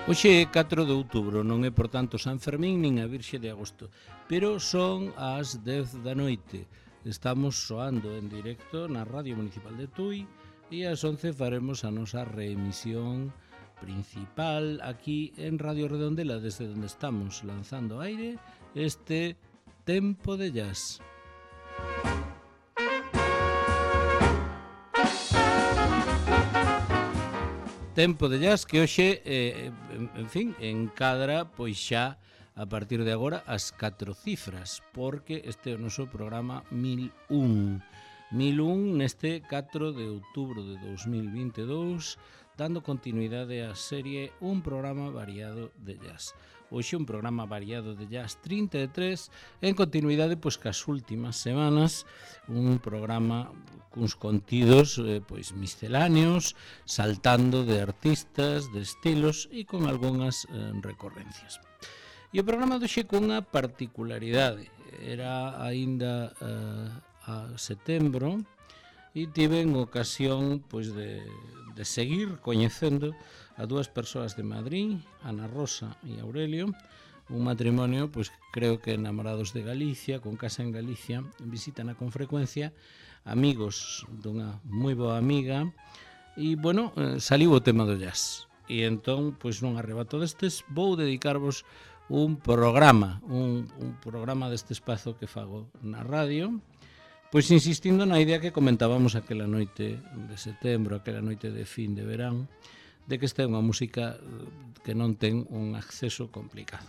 Hoxe é 4 de outubro, non é por tanto San Fermín nin a Virxe de Agosto, pero son as 10 da noite. Estamos soando en directo na Radio Municipal de Tui e ás 11 faremos a nosa reemisión principal aquí en Radio Redondela, desde onde estamos lanzando aire este Tempo de Jazz. Tempo de Jazz que hoxe, en fin, encadra pois xa a partir de agora as 4 cifras, porque este é o noso programa 1001. 1001 neste 4 de outubro de 2022, dando continuidade á serie Un programa variado de jazz. Hoxe un programa variado de jazz 33, en continuidade pois cas últimas semanas, un programa cuns contidos pois misceláneos, saltando de artistas, de estilos e con algunhas recorrencias. E o programa doxe cunha particularidade, era aínda a setembro e tiven ocasión pois de seguir coñecendo a dúas persoas de Madrid, Ana Rosa e Aurelio, un matrimonio, pois creo que enamorados de Galicia, con casa en Galicia, visitan con frecuencia, amigos dunha moi boa amiga, e, bueno, saliu o tema do jazz. E entón, pois nun arrebato destes, vou dedicarvos un programa deste espazo que fago na radio, pois insistindo na idea que comentábamos aquela noite de setembro, aquela noite de fin de verán, de que esta é unha música que non ten un acceso complicado.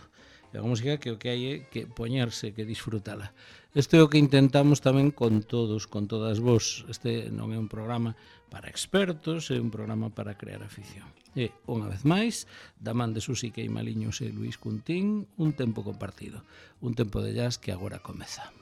É unha música que o que hai é que poñerse, que disfrutala. Isto é o que intentamos tamén con todos, con todas vos. Este non é un programa para expertos, é un programa para crear afición. E, unha vez máis, da man de Susi Queimaliños e Luís Cuntín, un tempo compartido. Un tempo de jazz que agora comeza.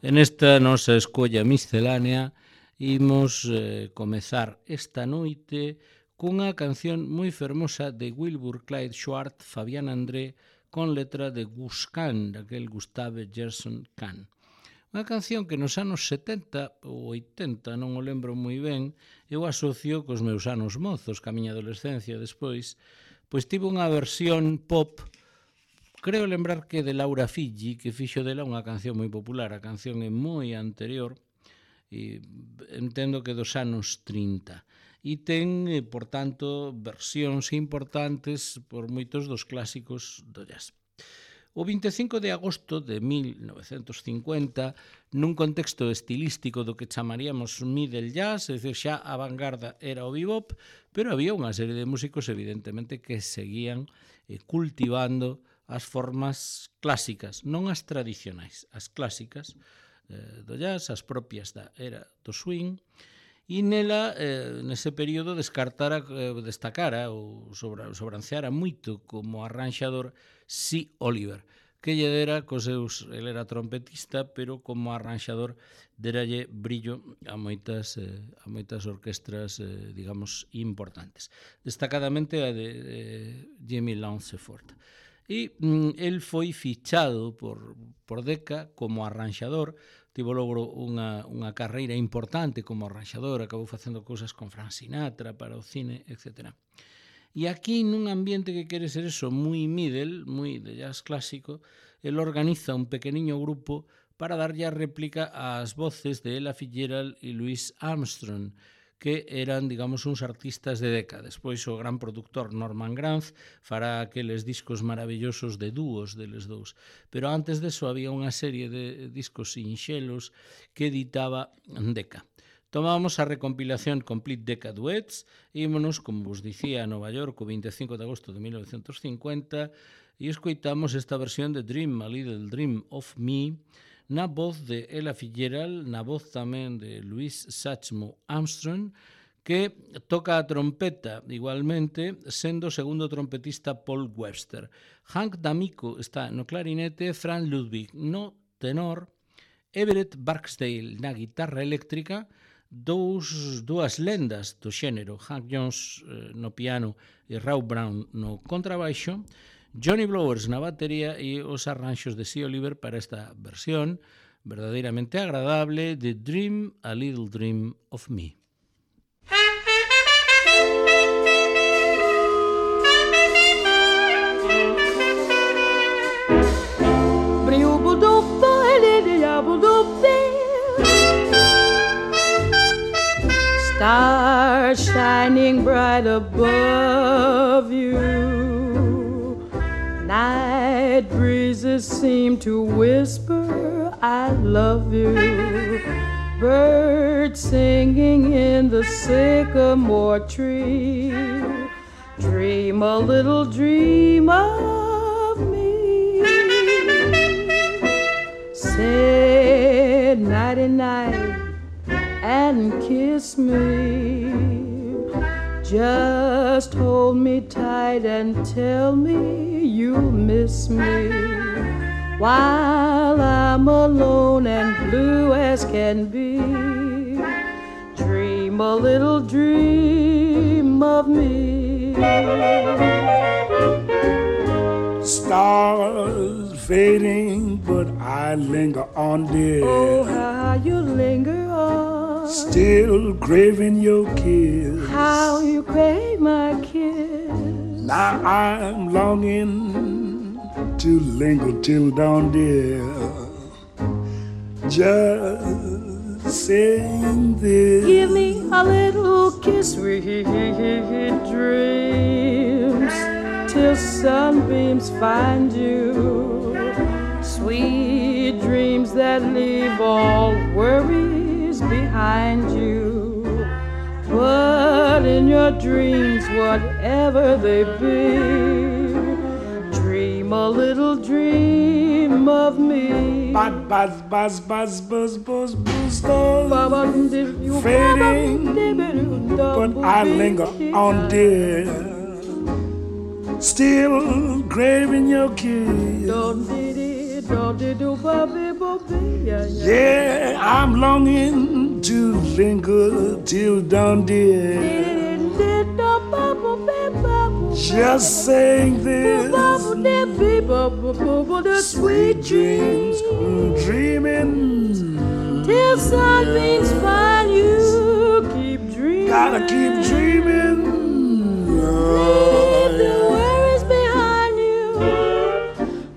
En esta nosa escolla miscelánea imos comezar esta noite cunha canción moi fermosa de Wilbur Clyde Schwartz, Fabián André, con letra de Gus Kahn, daquel Gustave Gerson Kahn. Unha canción que nos anos 70 ou 80, non o lembro moi ben, eu asocio cos meus anos mozos, ca miña adolescencia despois, pois tivo unha versión pop. Creo lembrar que de Laura Figi, que fixo dela unha canción moi popular. A canción é moi anterior, e entendo que dos anos 30. E ten, por tanto, versións importantes por moitos dos clásicos do jazz. O 25 de agosto de 1950, nun contexto estilístico do que chamaríamos middle jazz, é dicir, xa a vanguarda era o bebop, pero había unha serie de músicos, evidentemente, que seguían cultivando as formas clásicas, non as tradicionais, as clásicas do jazz, as propias da era do swing, e nela, nese período, destacara ou sobranceara moito como arranxador C. Oliver, que lle dera cos seus, ele era trompetista, pero como arranxador deralle brillo a moitas orquestras, digamos, importantes. Destacadamente a de Jimmy Lanceford. E el foi fichado por Decca como arranxador, tivo logo unha carreira importante como arranxador, acabou facendo cousas con Frank Sinatra para o cine, etc. E aquí, nun ambiente que quere ser eso, moi middle, moi de jazz clásico, el organiza un pequeniño grupo para darlle a réplica ás voces de Ella Fitzgerald e Louis Armstrong, que eran, digamos, uns artistas de Decca. Despois o gran productor Norman Granz fará aqueles discos maravillosos de dúos deles dous. Pero antes deso había unha serie de discos sinxelos que editaba Decca. Tomábamos a recompilación Complete Decca Duets e ímonos, como vos dicía, a Nova York o 25 de agosto de 1950 e escoitamos esta versión de Dream, a Little Dream of Me, na voz de Ella Fitzgerald, na voz tamén de Louis Satchmo Armstrong, que toca a trompeta igualmente, sendo o segundo trompetista Paul Webster. Hank D'Amico está no clarinete, Franz Ludwig no tenor, Everett Barksdale na guitarra eléctrica, dúas lendas do xénero, Hank Jones no piano e Raw Brown no contrabaixo, Johnny Blowers na batería e os arranxos de C. Oliver para esta versión, verdadeiramente agradable de Dream a Little Dream of Me. Stars shining bright above you, night breezes seem to whisper I love you, birds singing in the sycamore tree, dream a little dream of me. Say nighty-night and kiss me, just hold me tight and tell me you'll miss me, while I'm alone and blue as can be. Dream a little dream of me. Stars fading, but I linger on, dear. Oh, how you linger on, still craving your kiss. how you crave my kiss. Now I'm longing to linger till dawn, dear. Just saying this. Give me a little kiss, sweet dreams, till sunbeams find you. Sweet dreams that leave all worries behind you. But in your dreams, whatever they be, dream a little dream of me. Buzz, buzz, buzz, buzz, buzz, buzz, stars fading, but I linger on, dear. Still craving your kiss. Yeah, I'm longing to linger till dawn, dear. Just saying this. Sweet dreams, dreaming till sunbeams find you. Keep dreaming. Gotta keep dreaming. Leave the worries behind you.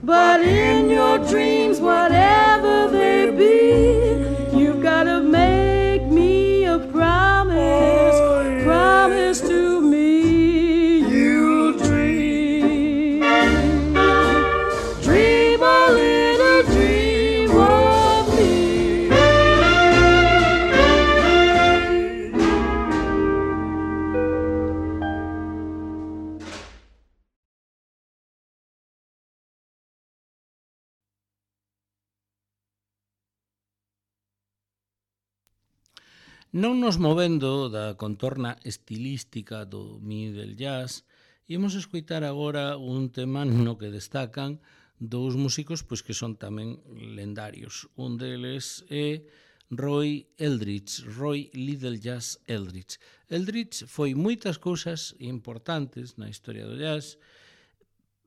But in your dreams, whatever they be, you gotta make me a promise. Promise to me you'll dream. Dream a little dream of me. Non nos movendo da contorna estilística do middle jazz, imos escoitar agora un tema no que destacan dous músicos pois que son tamén lendarios. Un deles é Roy Eldridge, Roy Little Jazz Eldridge. Eldridge foi moitas cousas importantes na historia do jazz.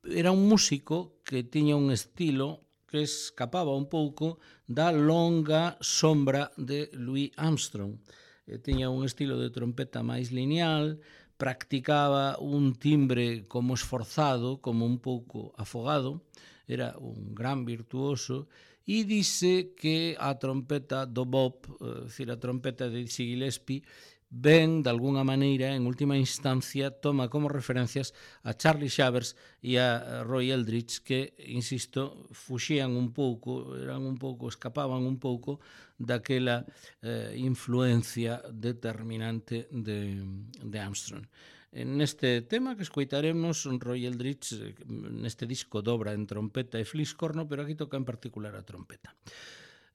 Era un músico que tiña un estilo que escapaba un pouco da longa sombra de Louis Armstrong. Tiña un estilo de trompeta máis lineal, practicaba un timbre como esforzado, como un pouco afogado, era un gran virtuoso, e dice que a trompeta do Bob, a trompeta de Dizzy Gillespie, ben, de alguna maneira, en última instancia, toma como referencias a Charlie Shavers e a Roy Eldridge, que, insisto, fuxían un pouco, escapaban un pouco daquela influencia determinante de Armstrong. Neste tema que escoitaremos, Roy Eldridge, neste disco dobra en trompeta e fliscorno, pero aquí toca en particular a trompeta.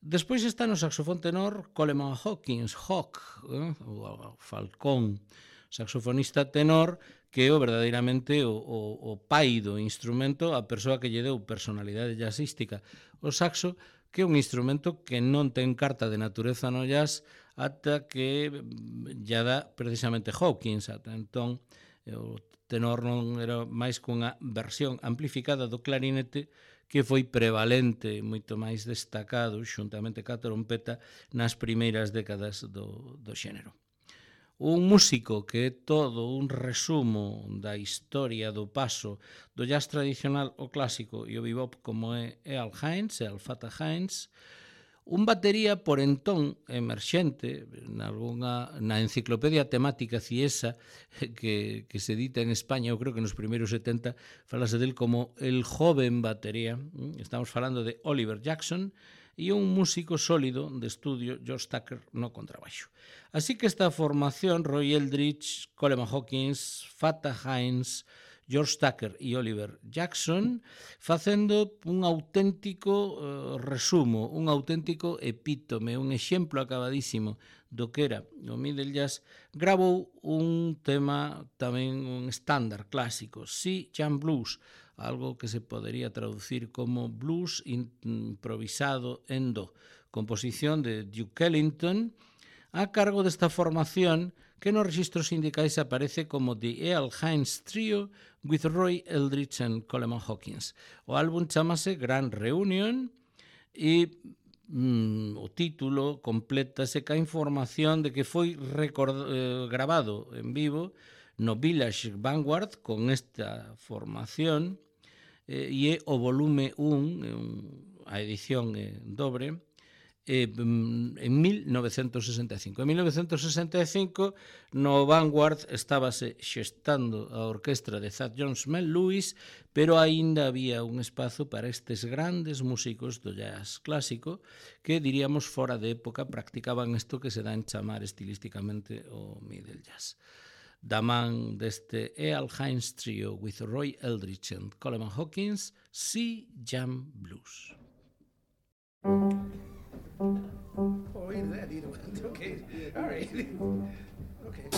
Despois está no saxofón tenor Coleman Hawkins, Hawk, o Falcón, saxofonista tenor, que é verdadeiramente o pai do instrumento, a persoa que lle deu personalidade jazzística. O saxo, que é un instrumento que non ten carta de natureza no jazz ata que lla dá precisamente Hawkins. Ata entón, o tenor non era máis que unha versión amplificada do clarinete que foi prevalente, moito máis destacado, xuntamente ca trompeta, nas primeiras décadas do xénero. Un músico que é todo un resumo da historia do paso do jazz tradicional ao clásico e o bebop como é Earl Hines, Earl Fatah Hines, un batería por entón emerxente na enciclopedia temática CIESA que se edita en España, eu creo que nos primeiros 70 falase del como el joven batería. Estamos falando de Oliver Jackson e un músico sólido de estudio, George Tucker, no contrabaixo. Así que esta formación, Roy Eldridge, Coleman Hawkins, Fatah Hines, George Tucker e Oliver Jackson, facendo un auténtico resumo, un auténtico epítome, un exemplo acabadísimo do que era o middle jazz, grabou un tema tamén un estándar clásico, Sea Jam Blues, algo que se podería traducir como blues improvisado en do, composición de Duke Ellington, a cargo desta formación que nos registros sindicais aparece como The Earl Hines Trio with Roy Eldridge and Coleman Hawkins. O álbum chamase Grand Reunion e o título complétase ca información de que foi grabado en vivo no Village Vanguard con esta formación e é o volume 1, a edición dobre, en 1965. En 1965 no Vanguard estábase xestando a orquestra de Thad Jones Mel Lewis, pero aínda había un espazo para estes grandes músicos do jazz clásico que, diríamos, fora de época practicaban isto que se dá en chamar estilísticamente o middle jazz. Da man deste Earl Hines Trio with Roy Eldridge and Coleman Hawkins, Sea Jam Blues. Oh, either that, either one. Okay, all right. Okay.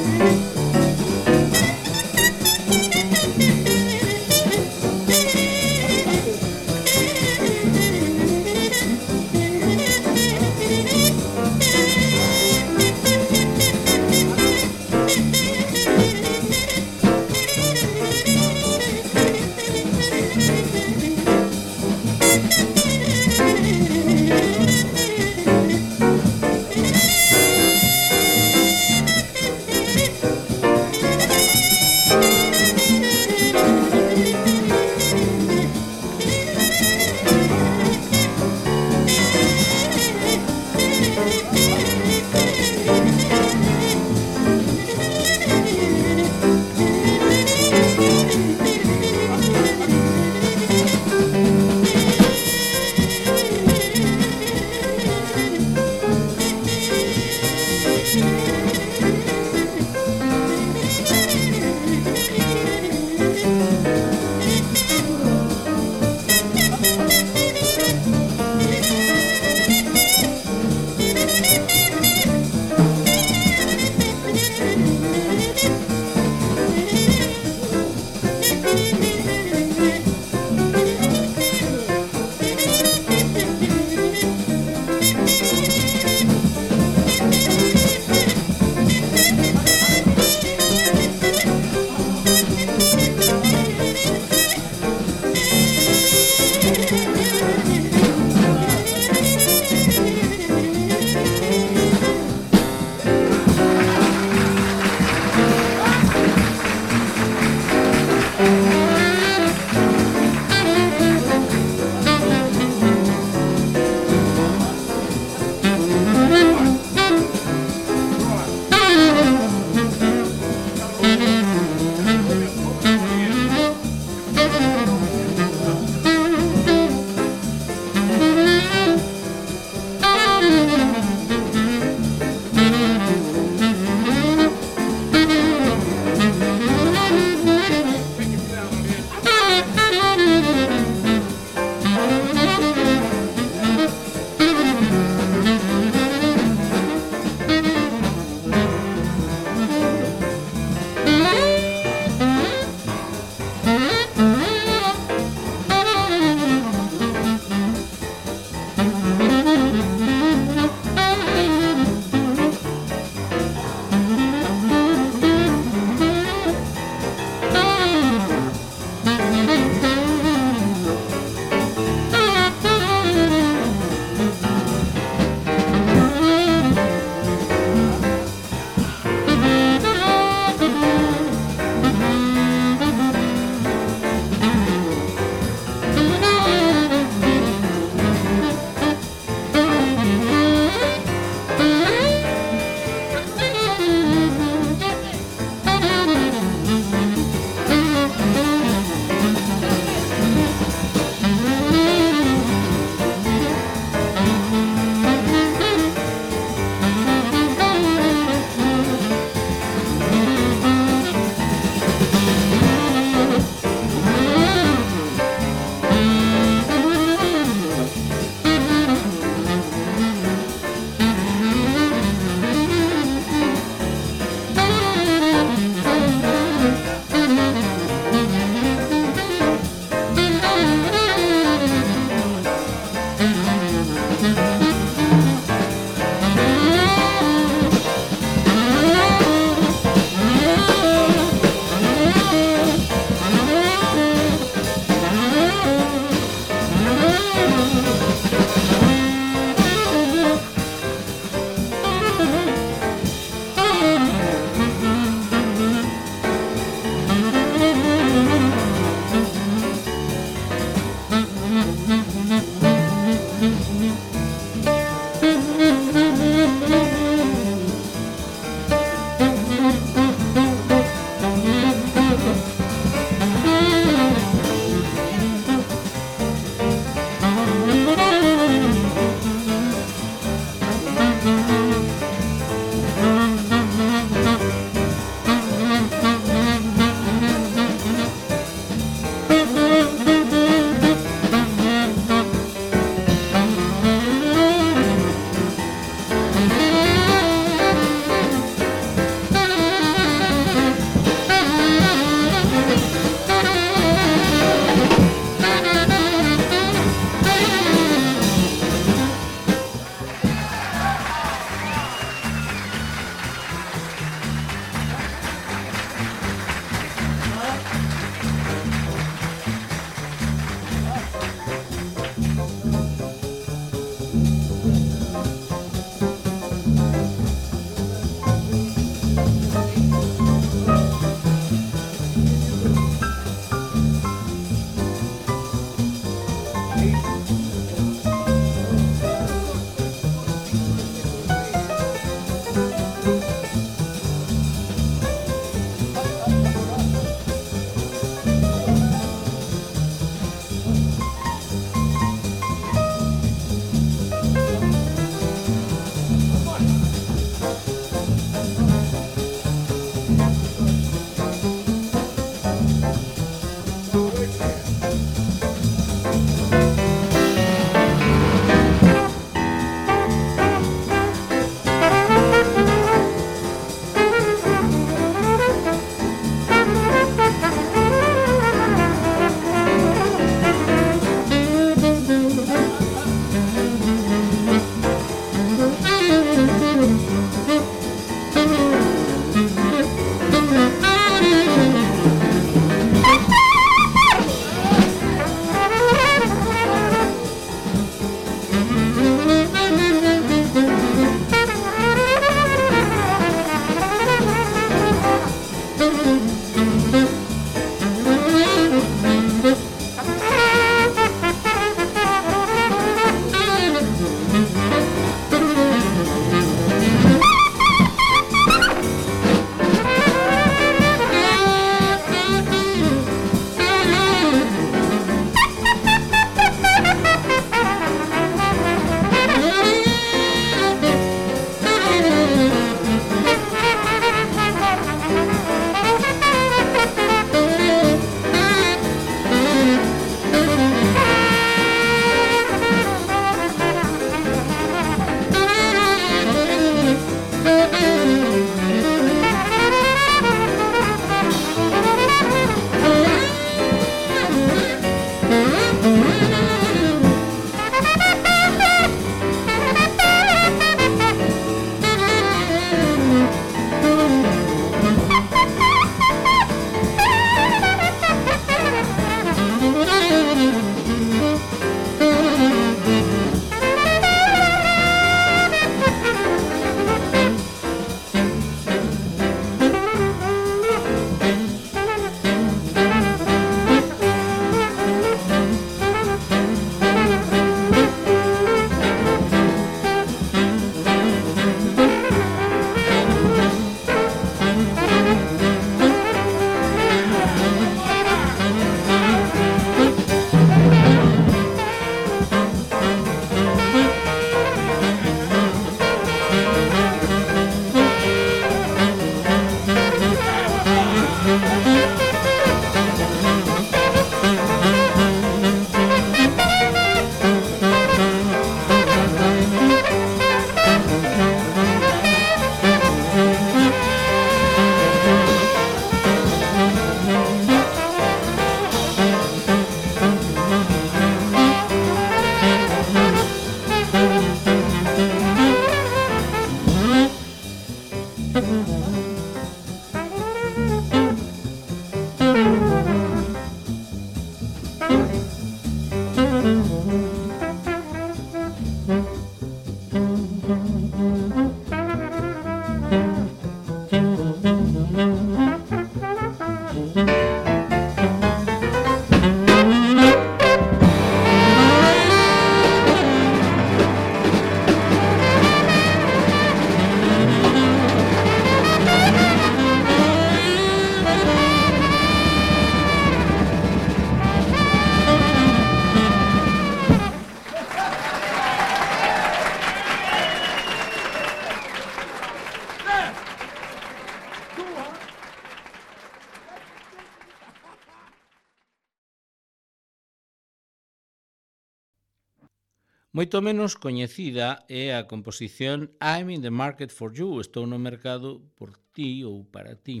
Moito menos coñecida é a composición I'm in the market for you, estou no mercado por ti ou para ti.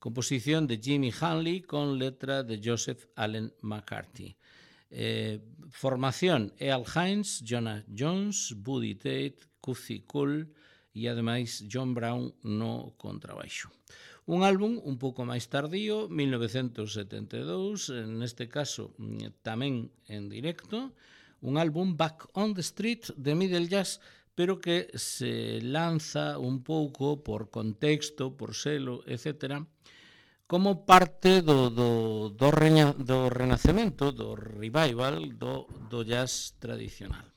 Composición de Jimmy Hanley con letra de Joseph Allen McCarthy. Formación Earl Hines, Jonah Jones, Buddy Tate, Cookie Cole e ademais John Brown no contrabaixo. Un álbum un pouco máis tardío, 1972, neste caso tamén en directo, un álbum Back on the Street de Middle Jazz, pero que se lanza un pouco por contexto, por selo, etc., como parte do renacemento, do revival do jazz tradicional.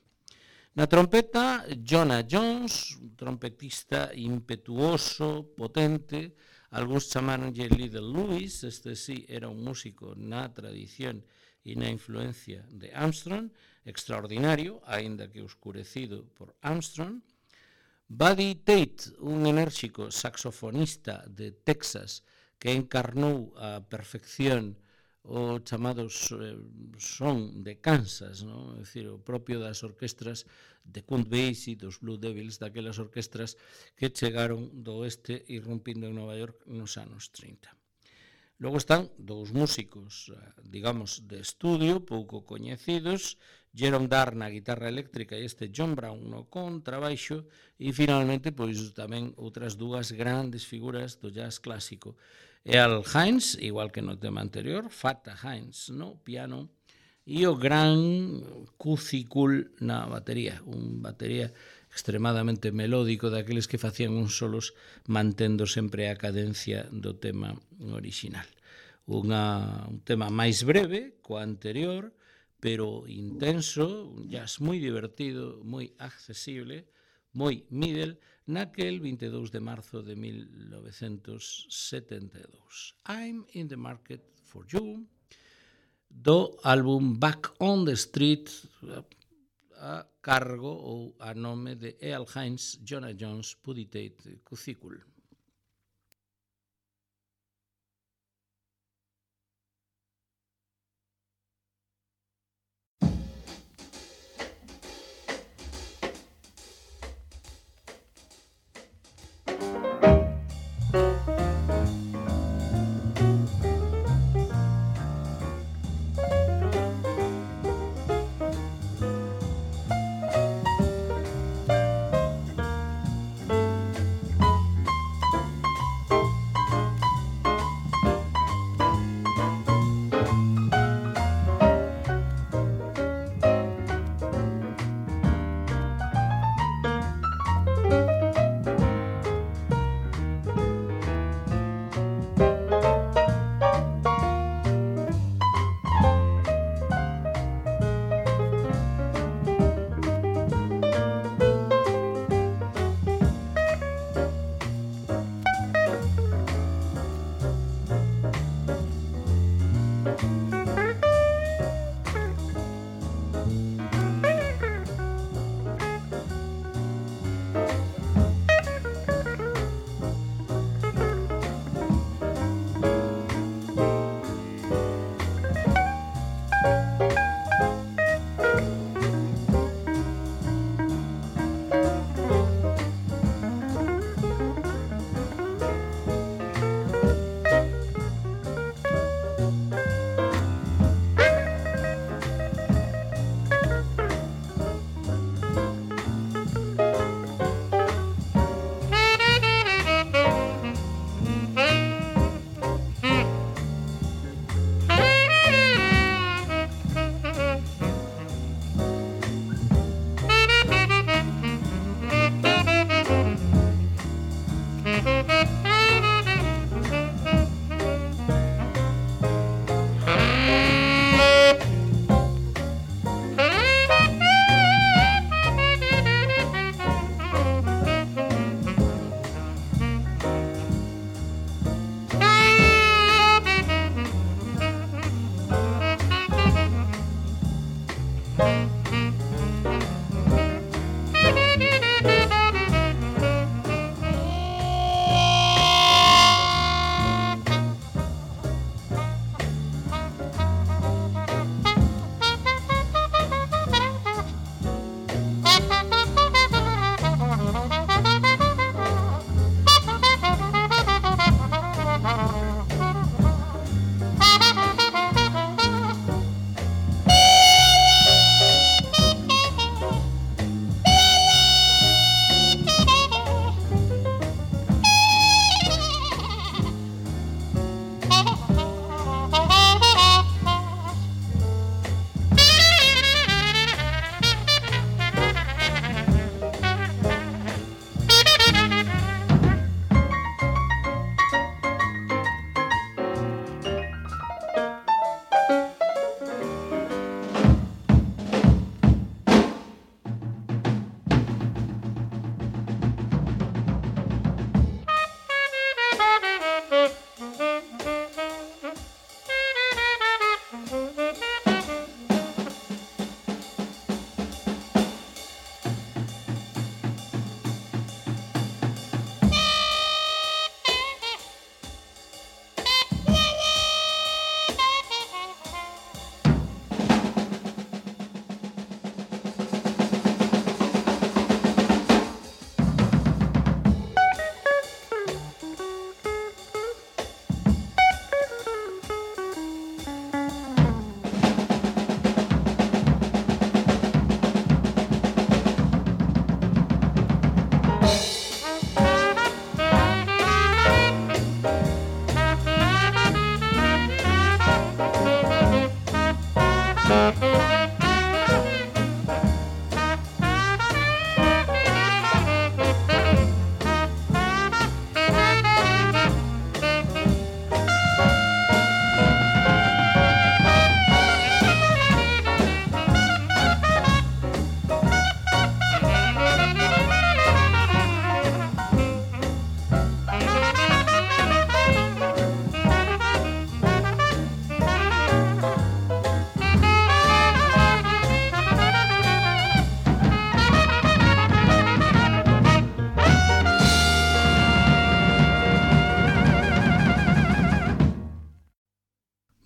Na trompeta, Jonah Jones, un trompetista impetuoso, potente, algúns chamaronlle Little Louis, este sí era un músico na tradición e na influencia de Armstrong, extraordinario, aínda que oscurecido por Armstrong. Buddy Tate, un enérxico saxofonista de Texas que encarnou a perfección o chamado son de Kansas, non? É dicir, o propio das orquestras de Count Basie, dos Blue Devils, daquelas orquestras que chegaron do oeste irrumpindo en Nova York nos anos 30. Logo están dous músicos, digamos, de estudio, pouco coñecidos, Jerome Darr na guitarra eléctrica e este John Brown no contrabaixo, e finalmente, pois tamén outras dúas grandes figuras do jazz clásico. Earl Hines, igual que no tema anterior, Fata Hines no piano, e o gran Cookie Cole na batería, un batería extremadamente melódico, daqueles que facían uns solos mantendo sempre a cadencia do tema original. Un tema máis breve coa anterior, pero intenso, un jazz moi divertido, moi accesible, moi middle, naquel 22 de marzo de 1972. I'm in the market for you, do álbum Back on the Street, a cargo ou a nome de Earl Hines, Jonah Jones, Buddy Tate, Cookie Cole.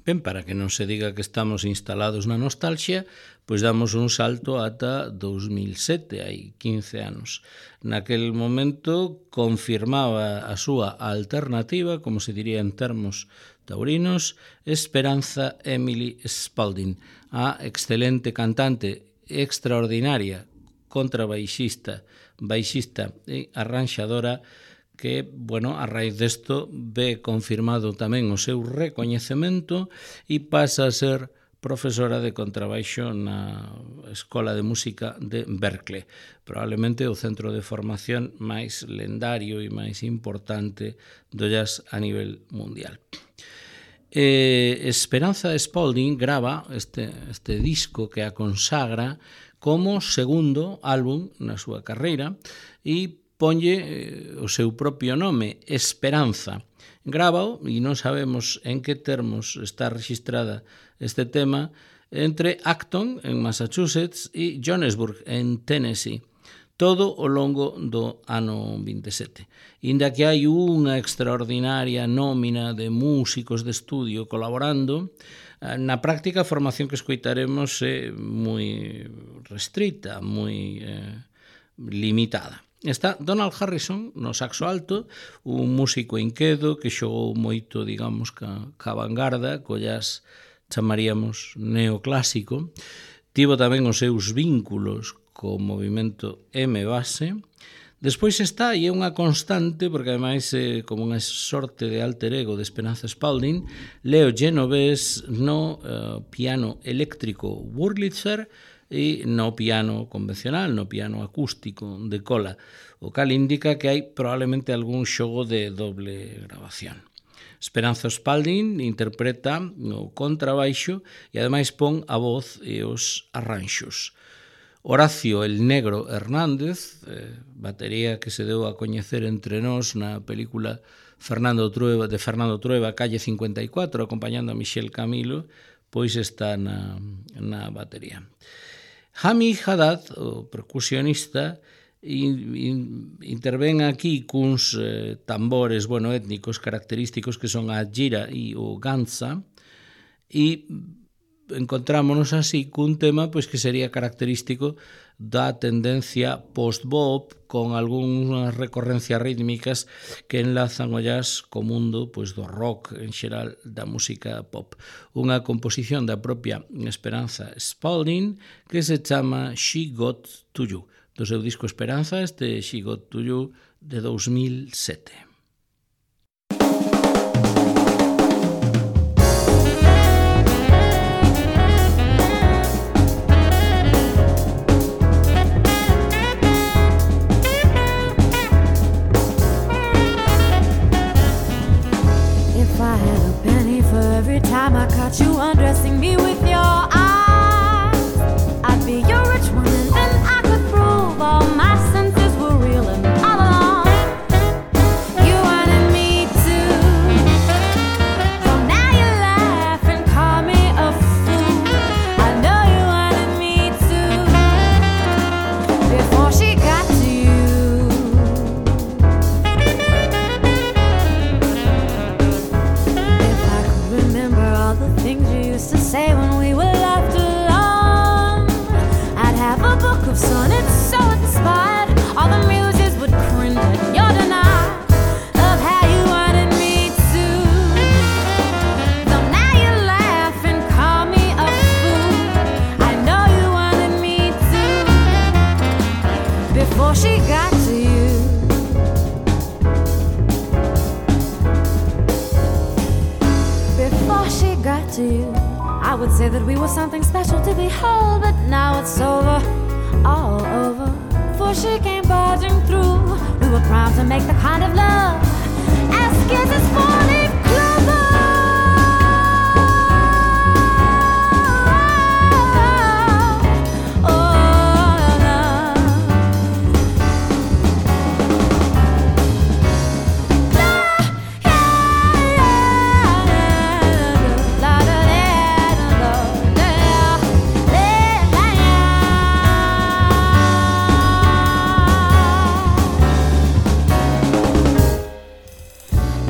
Ben, para que non se diga que estamos instalados na nostalgia, pois damos un salto ata 2007, hai 15 anos. Naquel momento confirmaba a súa alternativa, como se diría en termos taurinos, Esperanza Emily Spalding, a excelente cantante extraordinaria, contrabaixista, baixista e arranxadora que, bueno, a raíz desto ve confirmado tamén o seu recoñecemento e pasa a ser profesora de contrabaixo na Escola de Música de Berkeley, probablemente o centro de formación máis lendario e máis importante do jazz a nivel mundial. Esperanza Spalding grava este disco que a consagra como segundo álbum na súa carreira e ponlle o seu propio nome, Esperanza. Grábao, e non sabemos en que termos está registrada este tema, entre Acton, en Massachusetts, e Johannesburg, en Tennessee, todo ao longo do ano 27. Inda que hai unha extraordinaria nómina de músicos de estudio colaborando, na práctica a formación que escoitaremos é moi restrita, moi limitada. Está Donald Harrison no saxo alto, un músico inquedo que xogou moito, digamos, ca vanguarda, co jazz chamaríamos neoclásico. Tivo tamén os seus vínculos co movimento M-base. Despois está, e é unha constante, porque ademais é como unha sorte de alter ego de Esperanza Spalding, Leo Genovese no piano eléctrico Wurlitzer, e no piano convencional, no piano acústico de cola, o cal indica que hai probablemente algún xogo de doble grabación. Esperanza Spalding interpreta o contrabaixo e ademais pon a voz e os arranxos. Horacio el Negro Hernández, batería que se deu a coñecer entre nós na película Fernando Trueba, Calle 54, acompañando a Michel Camilo, pois está na batería. Hami Haddad, o percusionista, intervén aquí cuns tambores étnicos característicos que son a gira e o ganza, e encontrámonos así cun tema pois que sería característico da tendencia post-bop, con algunhas recorrencias rítmicas que enlazan o jazz co mundo pois do rock en xeral, da música pop. Unha composición da propia Esperanza Spalding que se chama She Got To You, do seu disco Esperanza, este She Got To You de 2007. Time I caught you undressing me with your eyes, I'd be your rich one, and then I could prove all my senses were real and all along you wanted me to. So now you laugh and call me a fool. I know you wanted me to before she got to you. If I could remember all the things you used to say when we were left alone, I'd have a book of sonnets so inspired all the muses would cringe at your denial of how you wanted me to. So now you laugh and call me a fool. I know you wanted me to before she got to you. Before she got to you, I would say that we were something special to behold, but now it's over, all over. For she came barging through. We were primed to make the kind of love as kisses falling clover.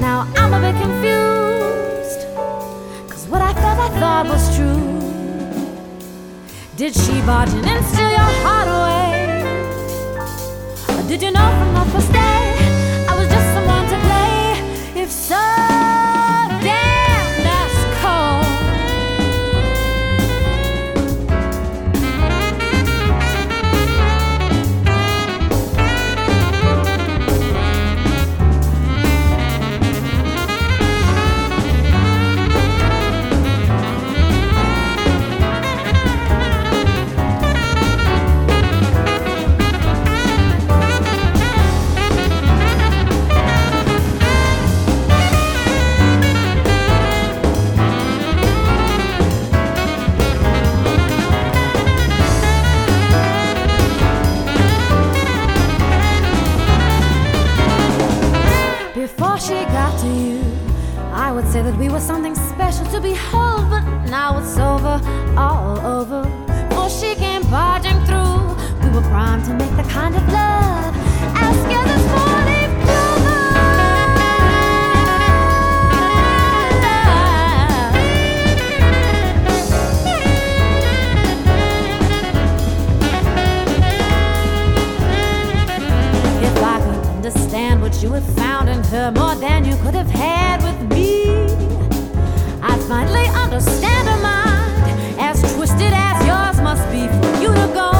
Now I'm a bit confused. barge in and steal your heart away. Did you know from the first day I was just someone to play? If so, damn, that's cold. Before she got to you, I would say that we were something special to behold, but now it's over, all over. Before she came barging through, we were primed to make the kind of love as scared as four-leaf clover. If I could understand what you had found in her more than you could have had with me, I'd finally understand her mind, as twisted as yours must be for you to go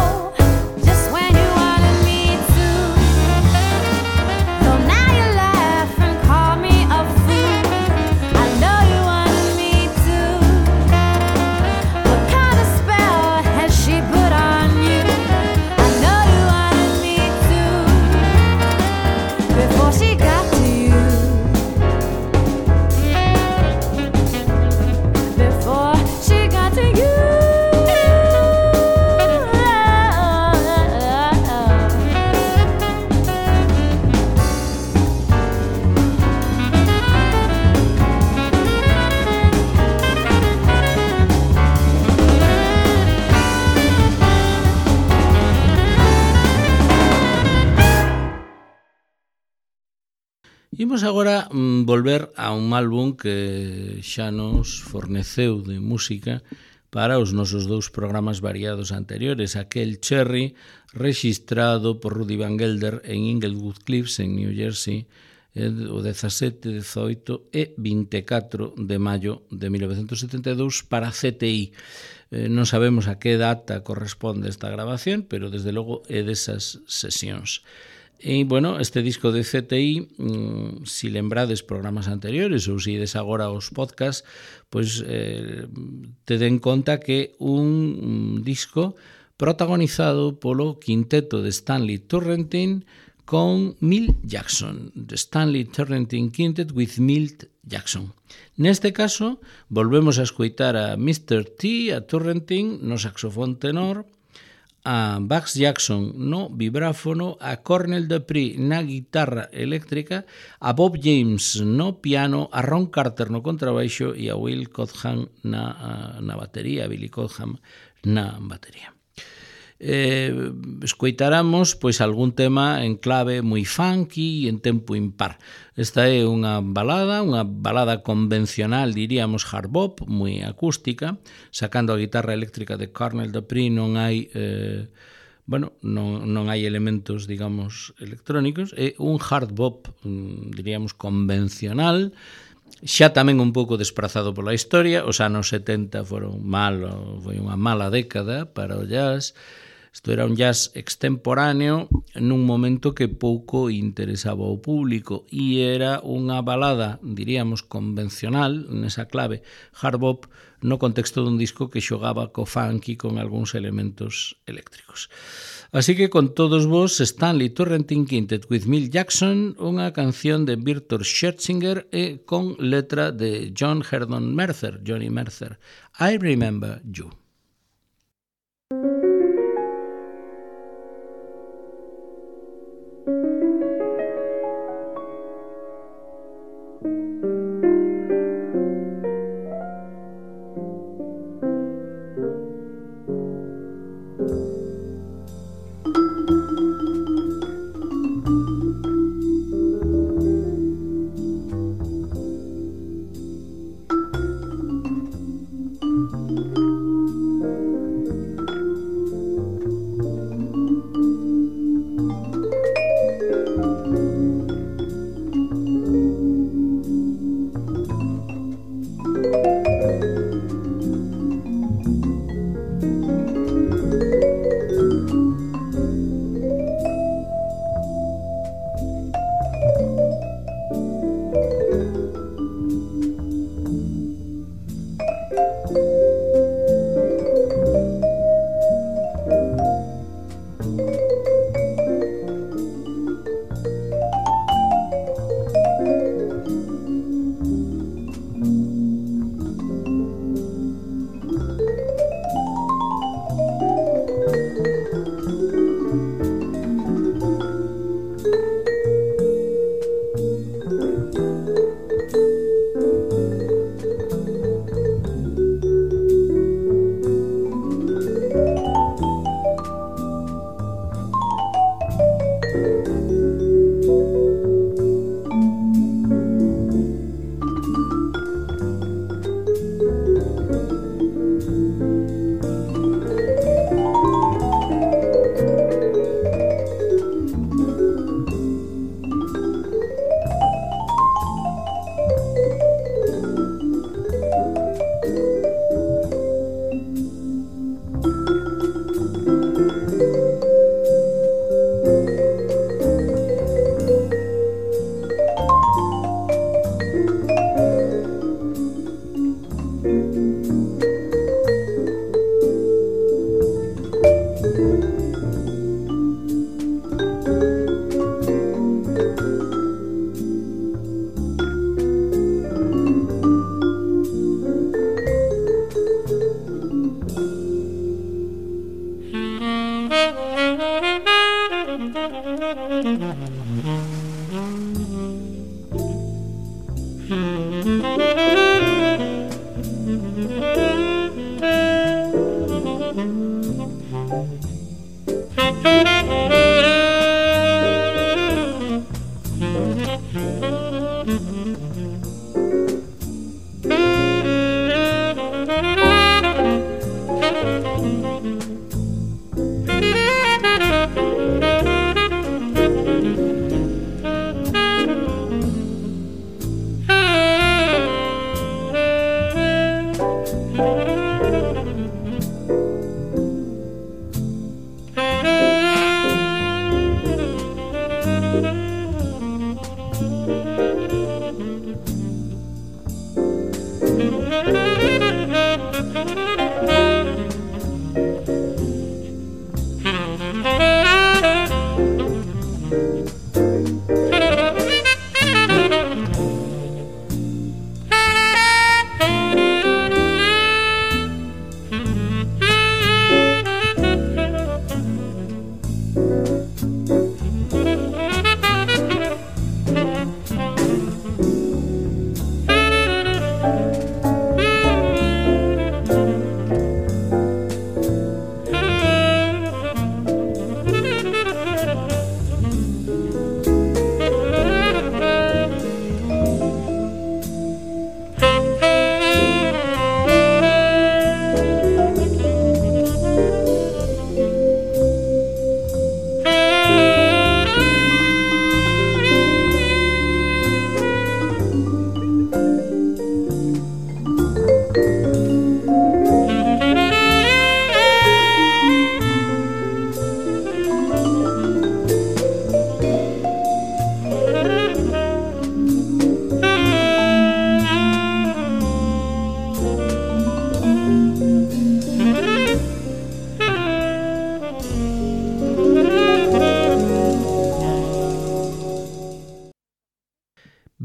just when you wanted me to. Though now you laugh and call me a fool, I know you wanted me to. What kind of spell has she put on you? I know you wanted me to. Before she got to you, before she got to you. Imos agora volver a un álbum que xa nos forneceu de música para os nosos dous programas variados anteriores, aquel Cherry rexistrado por Rudy Van Gelder en Inglewood Cliffs, en New Jersey, o 17, 18 e 24 de maio de 1972 para CTI. Non sabemos a que data corresponde esta grabación, pero desde logo é desas sesións. E, bueno, este disco de CTI, si lembrades programas anteriores ou si ides agora aos podcasts, pois tede en conta que un disco protagonizado polo quinteto de Stanley Turrentine con Milt Jackson, the Stanley Turrentine Quintet with Milt Jackson. Neste caso, volvemos a escoitar a Mr. T, a Turrentine, no saxofón tenor, a Bugs Jackson no vibráfono, a Cornell Dupree na guitarra eléctrica, a Bob James no piano, a Ron Carter no contrabaixo e a Will Codham na batería, a Billy Codham na batería. Escoitaramos pois algún tema en clave moi funky e en tempo impar. Esta é unha balada convencional, diríamos hard bop, moi acústica, sacando a guitarra eléctrica de Cornell Dupree non hai non hai elementos, digamos, electrónicos, é un hard bop, diríamos, convencional, xa tamén un pouco desprazado pola historia. Os anos 70 foi unha mala década para o jazz. Isto era un jazz extemporáneo nun momento que pouco interesaba ao público e era unha balada, diríamos, convencional, nesa clave hard bop, no contexto dun disco que xogaba co funky con algúns elementos eléctricos. Así que con todos vos, Stanley Turrentine Quintet with Milt Jackson, unha canción de Victor Scherzinger e con letra de Johnny Mercer, I Remember You.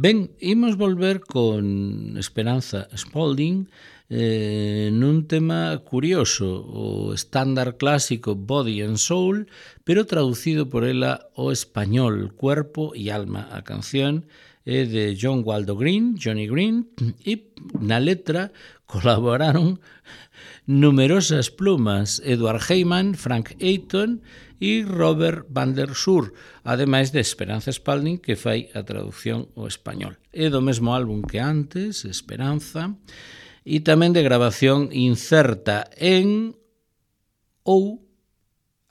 Ben, imos volver con Esperanza Spalding nun tema curioso, o estándar clásico Body and Soul, pero traducido por ela ao español, Cuerpo y Alma. A canción é de John Waldo Green, Johnny Green, e na letra colaboraron numerosas plumas, Edward Heyman, Frank Ayton e Robert van der Sur, ademais de Esperanza Spalding, que fai a traducción ao español. É do mesmo álbum que antes, Esperanza, e tamén de grabación incerta en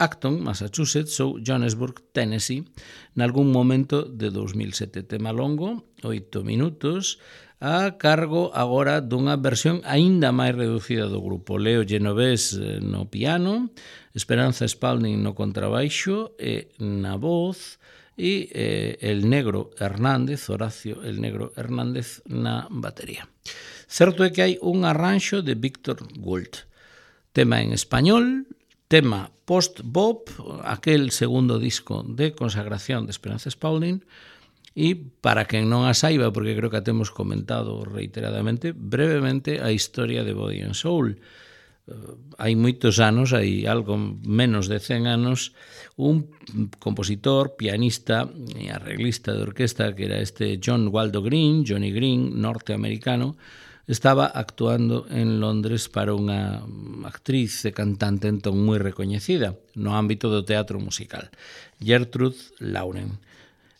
Acton, Massachusetts, ou Johannesburg, Tennessee, nalgún momento de 2007. Tema longo, 8 minutos, a cargo agora dunha versión aínda máis reducida do grupo. Leo Genovés no piano, Esperanza Spalding no contrabaixo e na voz, e el Negro Hernández, Horacio el Negro Hernández, na batería. Certo é que hai un arranxo de Víctor Gould. Tema en español, tema post-bop, aquel segundo disco de consagración de Esperanza Spalding. E para quen non a saiba, porque creo que a temos comentado reiteradamente, brevemente a historia de Body and Soul. Hai moitos anos, hai algo menos de 100 anos, un compositor, pianista e arreglista de orquesta, que era este John Waldo Green, Johnny Green, norteamericano, estaba actuando en Londres para unha actriz e cantante entón moi recoñecida no ámbito do teatro musical, Gertrude Lauren.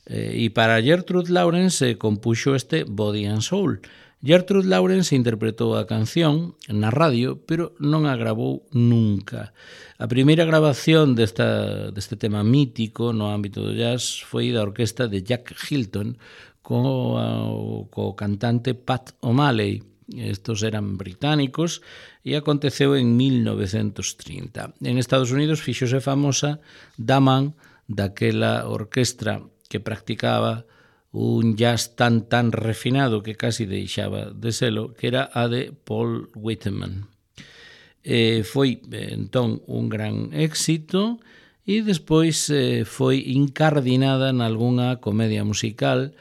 E para Gertrude Lawrence se compuxo este Body and Soul. Gertrude Lawrence interpretou a canción na radio, pero non a gravou nunca. A primeira grabación deste tema mítico no ámbito do jazz foi da orquesta de Jack Hilton co cantante Pat O'Malley. Estos eran británicos e aconteceu en 1930. En Estados Unidos fíxose famosa da man daquela orquestra que practicaba un jazz tan refinado que casi deixaba de selo, que era a de Paul Whiteman. Foi entón un gran éxito e despois foi incardinada nalgúnha comedia musical,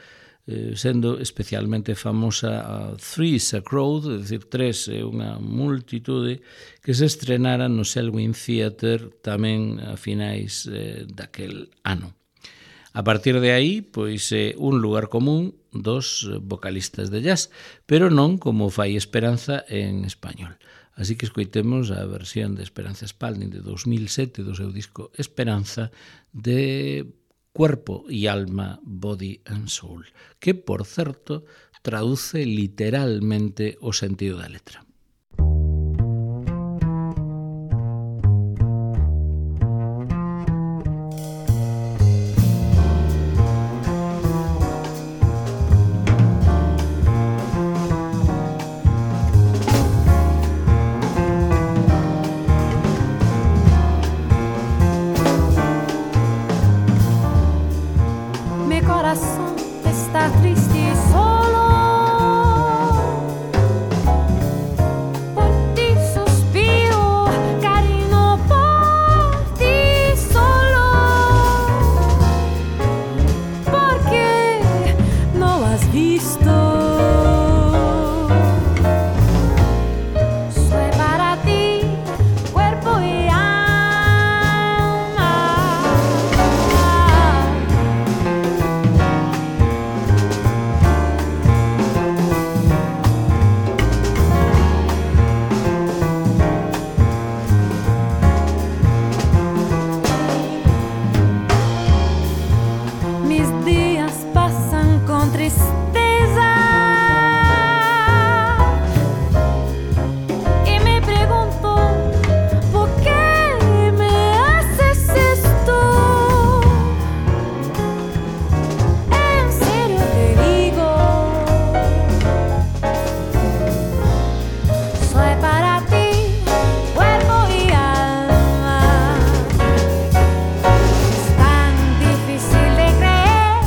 sendo especialmente famosa a Three's a Crowd, é dicir, tres é unha multitude, que se estrenara no Selwyn Theatre tamén a finais daquel ano. A partir de aí, pois é un lugar común dos vocalistas de jazz, pero non como fai Esperanza en español. Así que escoitemos a versión de Esperanza Spalding de 2007 do seu disco Esperanza de Cuerpo y Alma, Body and Soul, que, por certo, traduce literalmente o sentido da letra. Está triste y solo, por ti suspiro, cariño, por ti solo, porque no has visto, soy para ti, cuerpo y alma. Mis días pasan con tristeza y me pregunto ¿por qué me haces esto? En serio te digo, soy para ti, cuerpo y alma. Es tan difícil de creer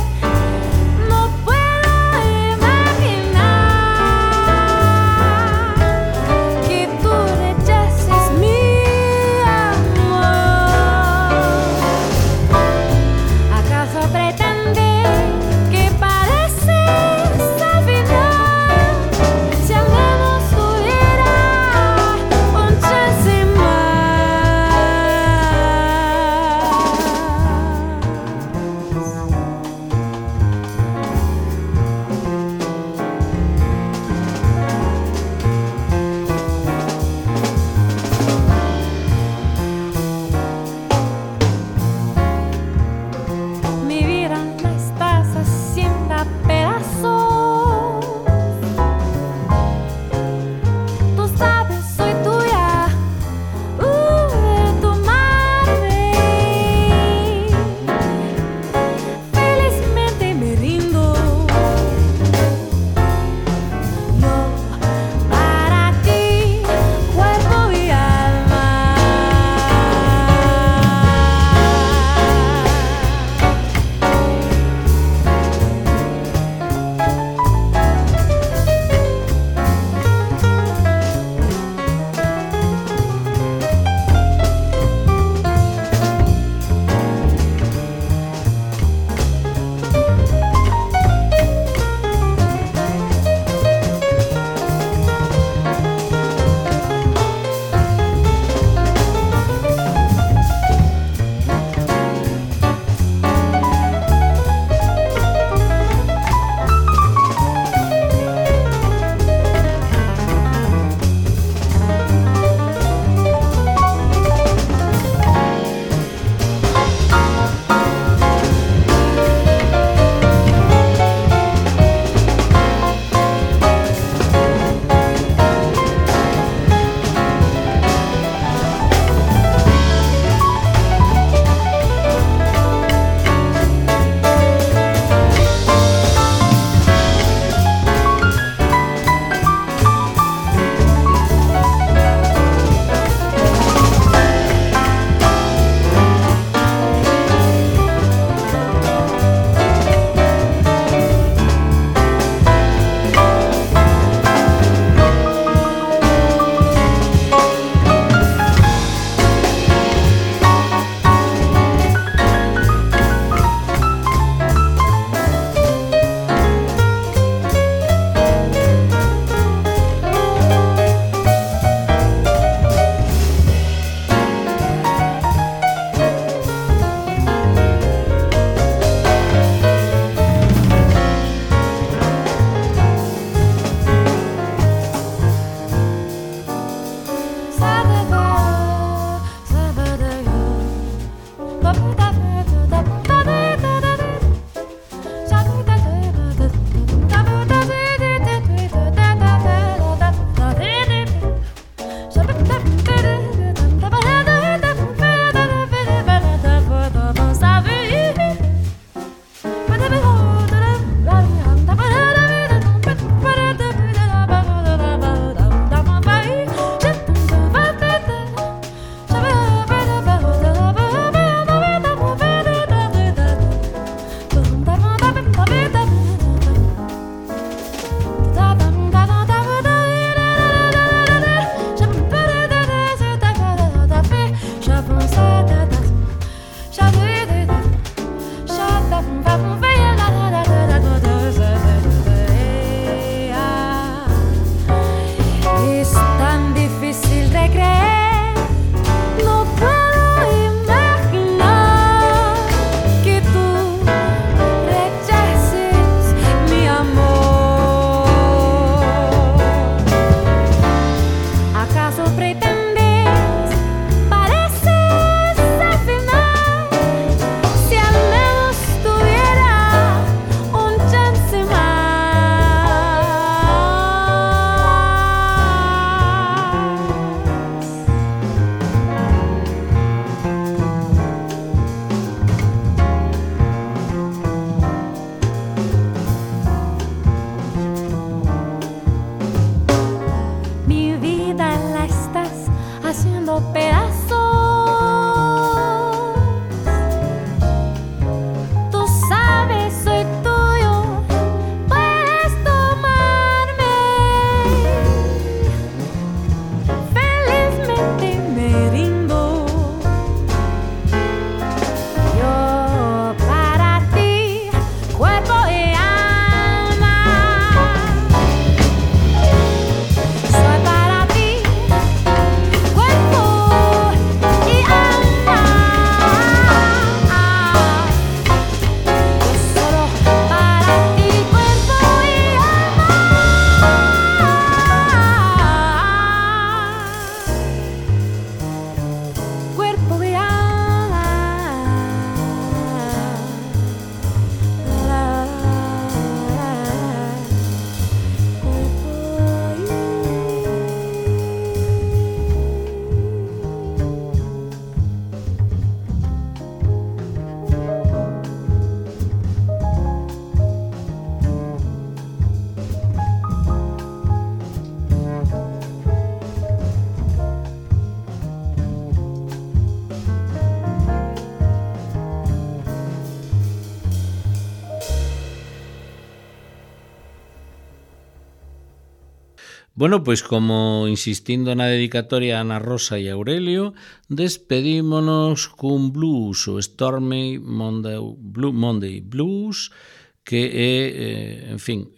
Bueno, pois como insistindo na dedicatoria a Ana Rosa e Aurelio, despedímonos cun blues, o Stormy Monday Blues, que é, en fin,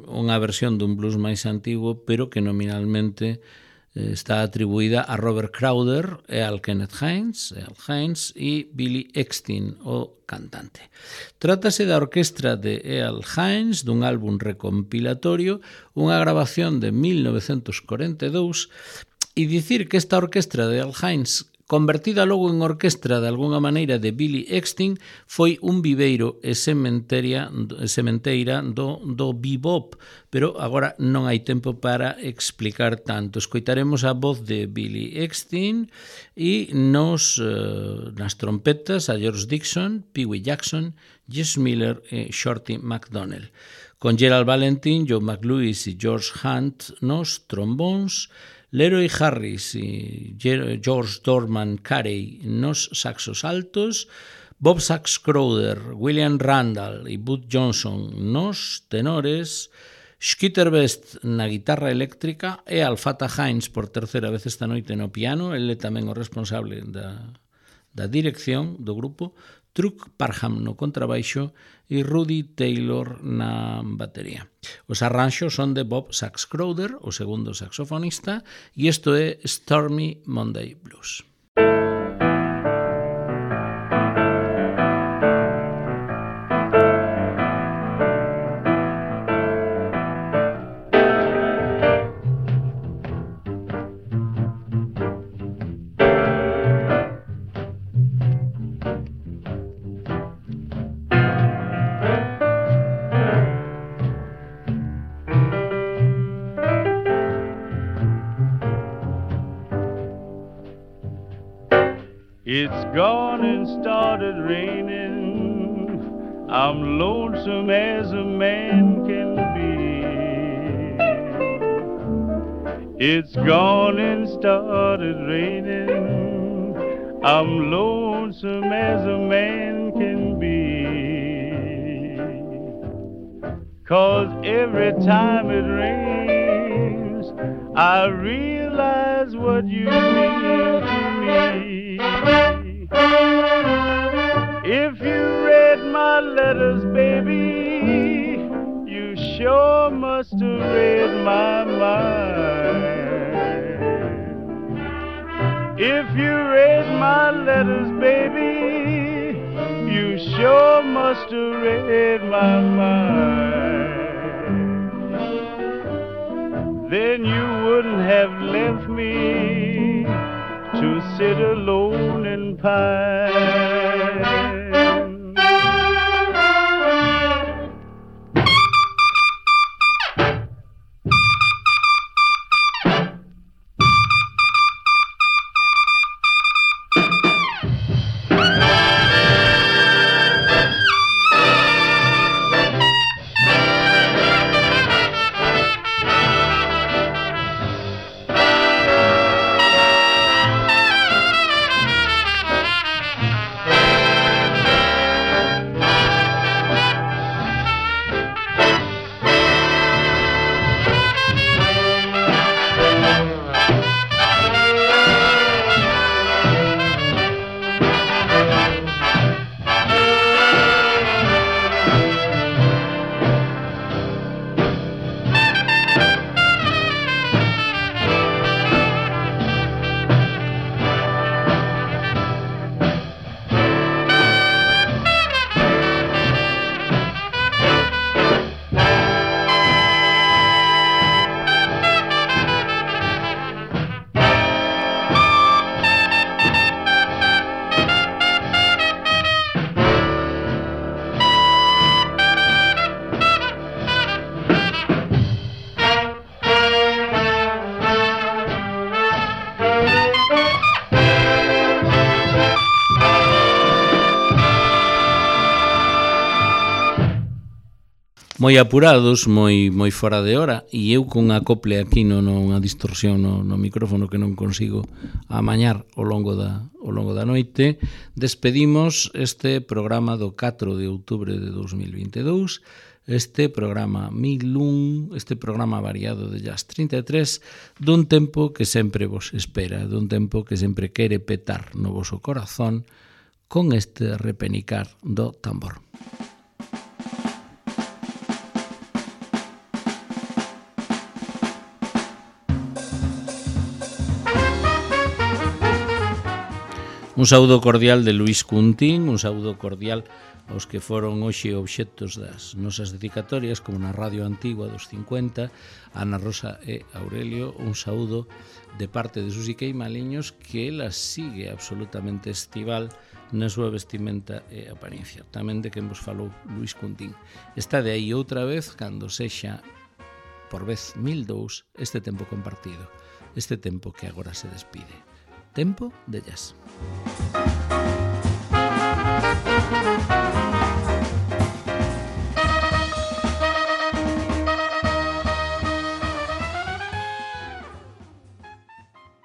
unha versión dun blues máis antigo, pero que nominalmente está atribuída a Robert Crowder e al Kenneth Hines e Billy Eckstine, o cantante. Trátase da orquestra de Earl Hines dun álbum recompilatorio, unha grabación de 1942, e dicir que esta orquestra de Earl Hines, convertida logo en orquestra de alguna maneira de Billy Eckstine, foi un viveiro e sementeira do bebop, pero agora non hai tempo para explicar tanto. Escoitaremos a voz de Billy Eckstine e nas trompetas a George Dixon, Pee Wee Jackson, Jess Miller e Shorty McDonnell. Con Gerald Valentin, Joe McLewis e George Hunt nos trombóns, Leroy Harris e George Dorman Carey nos saxos altos, Bob Sax Crowder, William Randall e Bud Johnson nos tenores, Skeeter Best na guitarra eléctrica e Alfata Hines por terceira vez esta noite no piano, ele tamén o responsable da dirección do grupo, Truc Parham no contrabaixo e Rudy Taylor na batería. Os arranxos son de Bob Sax Crowder, o segundo saxofonista, e isto é Stormy Monday Blues. It's gone and started raining. I'm lonesome as a man can be. It's gone and started raining. I'm lonesome as a man can be. 'Cause every time it rains, I realize what you mean to me. If you read my letters, baby, you sure must have read my mind. If you read my letters, baby, you sure must have read my mind. Then you wouldn't have left me to sit alone and pine. moi apurados, moi fora de hora, e eu con acople aquí unha distorsión no micrófono que non consigo amañar ao longo da noite, despedimos este programa do 4 de outubro de 2022, este programa 1001, este programa variado de Jazz 33, dun tempo que sempre vos espera, dun tempo que sempre quere petar no voso corazón con este repenicar do tambor. Un saúdo cordial de Luis Cuntín, un saúdo cordial aos que foron hoxe obxectos das nosas dedicatorias, como na Radio Antigua dos 50, Ana Rosa e Aurelio, un saúdo de parte de Susi Queimaliños, que ela sigue absolutamente estival na súa vestimenta e apariencia. Tamén de quen vos falou Luis Cuntín. Está de aí outra vez, cando sexa por vez 1002, este tempo compartido, este tempo que agora se despide. Tempo de jazz.